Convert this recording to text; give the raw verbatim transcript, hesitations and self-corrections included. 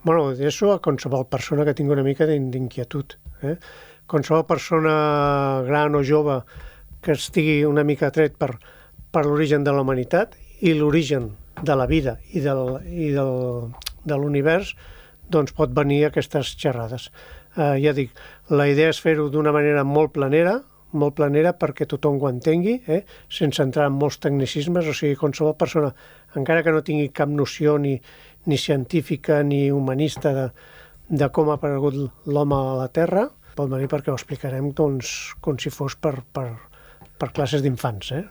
Bueno, d'això a qualsevol persona que tingui una mica d'inquietud. Eh? Qualsevol persona gran o jove que estigui una mica atret per, per l'origen de la humanitat i l'origen de la vida i, del, i del, de l'univers, doncs pot venir a aquestes xerrades. Eh, ja dic, la idea és fer-ho d'una manera molt planera, molt planera perquè tothom ho entengui, eh? Sense entrar en molts tecnicismes, o sigui, qualsevol persona, encara que no tingui cap noció ni, ni científica ni humanista de, de com ha aparegut l'home a la Terra, pot venir perquè ho explicarem doncs, com si fos per, per, per classes d'infants, eh?